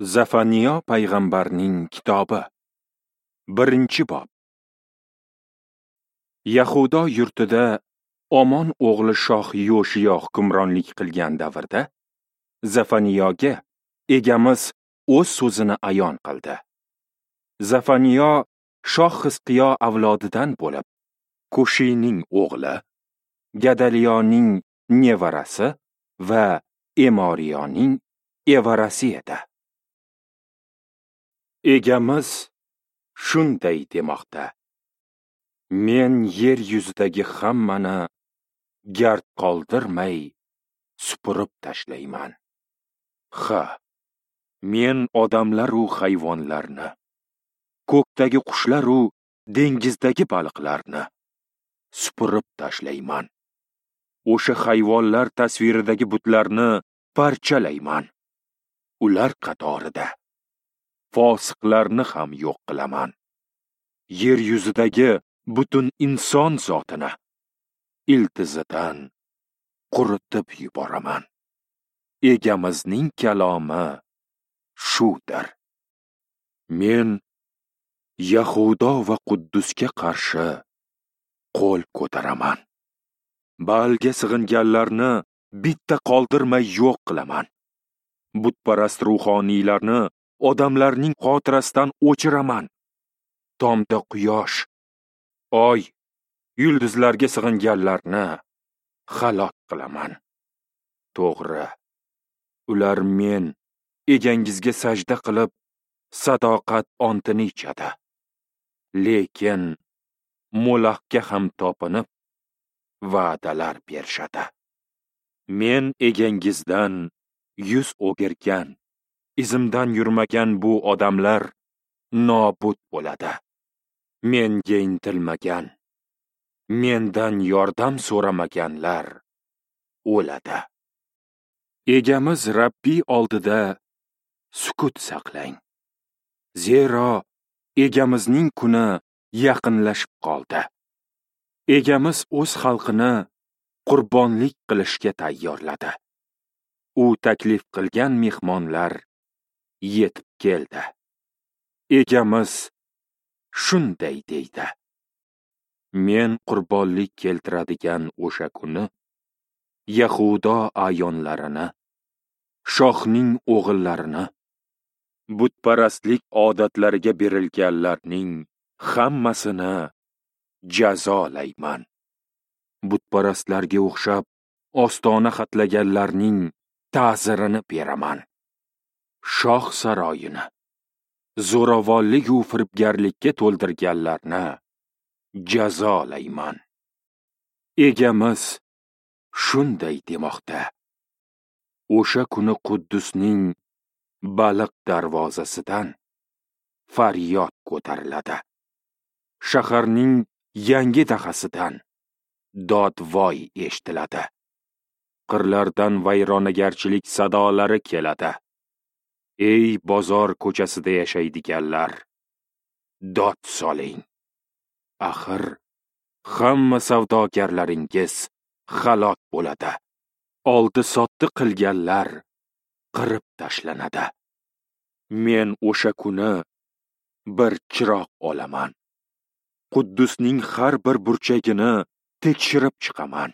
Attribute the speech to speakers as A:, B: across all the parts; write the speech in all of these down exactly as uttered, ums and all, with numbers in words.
A: Zafaniyo payg'ambarning kitobi, birinchi bob. Yahudo yurtida Omon o'g'li shoh Yoshiyo hukmronlik qilgan davrda Zafaniyoga Egamiz o'z so'zini ayon qildi. Zafaniyo shoh Xizqiyo avlodidan bo'lib, Kushiyning o'g'li, Gadaliyoning nevarasi va Emoriyoning evarasi edi. Egamiz shunday demoqda: Men yer yuzidagi hammani gard qoldirmay supurib tashlayman. Ha, men odamlar u hayvonlarni, ko'kdagi qushlar u dengizdagi baliqlarni supurib tashlayman. O'sha hayvonlar tasviridagi butlarni parchalayman. Ular qatorida fosiqlarni ham yo'q qilaman. Yer yuzidagi butun inson zotini iltizidan quritib yuboraman. Egamizning kalomi shudir. Men Yahudo va Quddusga qarshi qo'l ko'taraman. Baalga sig'inganlarni bitta qoldirmay yo'q qilaman. Butparast ruhoniylarni odamlarning xotirasidan o'chiraman. Tomda quyosh, oy, yulduzlarga sig'inganlarni halok qilaman. To'g'ri, ular men egangizga sajda qilib, sadoqat ontini ichadi. Lekin Molahga ham topinib, va'dalar berishadi. Men egangizdan yuz o'girgan, izimdan yurmagan bu odamlar nobud bo'ladi. Menga intilmagan, mendan yordam so'ramaganlar o'ladi. Egamiz Rabbiy oldida sukut saqlang. Zero egamizning kuni yaqinlashib qoldi. Egamiz o'z xalqini qurbonlik qilishga tayyorladi. U taklif qilgan mehmonlar yetib keldi. Egamiz shunday deydi: Men qurbonlik keltiradigan o'sha kuni Yahudo ayonlarini, shohning o'g'illarini, butparastlik odatlariga berilganlarning hammasini jazolayman. Butparastlarga o'xshab ostona xatlaganlarning ta'zirini beraman. Shoh saroyini zo'ravonlik va firibgarlikka to'ldirganlarni jazolayman. Egamiz shunday demoqda: O'sha kuni Quddusning baliq darvozasidan faryod ko'tariladi. Shaharning yangi dahasidan dod-voy eshitiladi. Qirlardan vayronagarchilik sadolari keladi. Ey bozor ko'chasida yashaydiganlar, dod soling. Axir hamma savdogarlaringiz halok bo'ladi. Oldi-sotdi qilganlar qirib tashlanadi. Men o'sha kuni bir chiroq olaman. Quddusning har bir burchagini tekshirib chiqaman.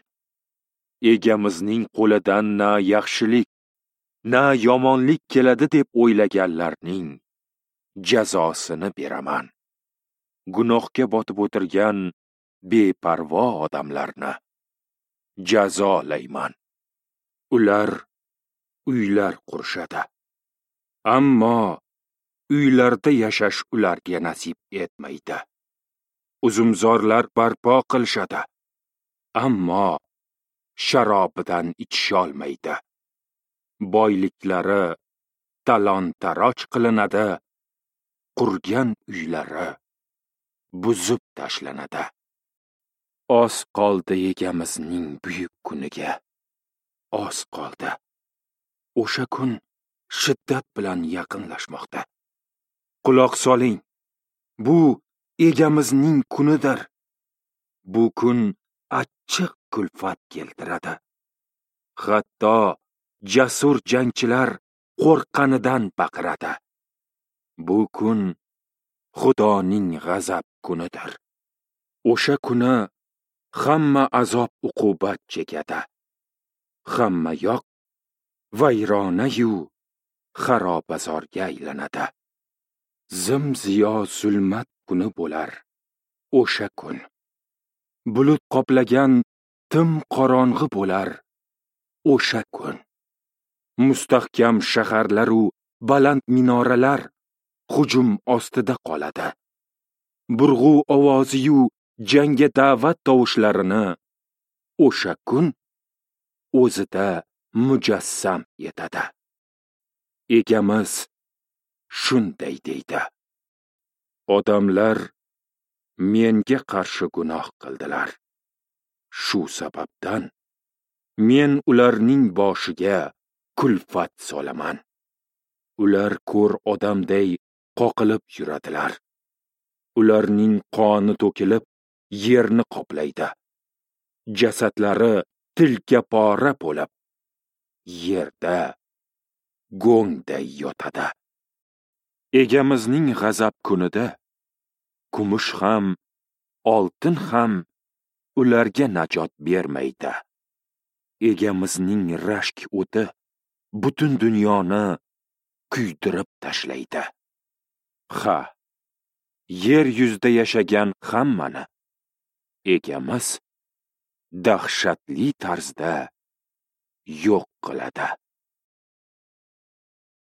A: Egamizning qo'lidan na yaxshilik, na yomonlik keladi deb o'ylaganlarning jazosini beraman. Gunohga botib o'tirgan beparvo odamlarni jazolayman. Ular uylar qurishadi, ammo uylarda yashash ularga nasib etmaydi. Uzumzorlar barpo qilishadi, ammo sharobidan ichisholmaydi. Boyliklari talon-taroj qilinadi, qurgan uylari buzib tashlanadi. Oz qoldi egamizning buyuk kuniga. Oz qoldi. O'sha kun shiddat bilan yaqinlashmoqda. Quloq soling. Bu egamizning kunidir. Bu kun achchiq kulfat keltiradi. Hatto jasur jangchilar qo'rqqanidan baqiradi. Bu kun Xudoning g'azab kunidir. O'sha kuni hamma azob uqubat chekadi. Hamma yoq vayronayu xarobazorga aylanadi. Zim-ziyo zulmat kuni bo'lar o'sha kun. Bulut qoplagan tim qorong'i bo'lar o'sha kun. Mustahkam shaharlar u baland minoralar hujum ostida qoladi. Burg'u ovozi-yu jangga da'vat tovushlarini o'sha kun o'zida mujassam etadi. Egamiz shunday deydi: Odamlar menga qarshi gunoh qildilar. Shu sababdan men ularning boshiga kulfat solaman. Ular ko'r odamday qoqilib yuradilar. Ularning qoni to'kilib yerni qoplaydi. Jasadlari tilka pora bo'lib yerda go'ngday yotadi. Egamizning g'azab kunida kumush ham, oltin ham ularga najot bermaydi. Egamizning rashk o'ti butun dunyoni kuydirib tashlaydi. Ha, yer yuzida yashagan hammani Egamiz dahshatli tarzda yo'q qiladi.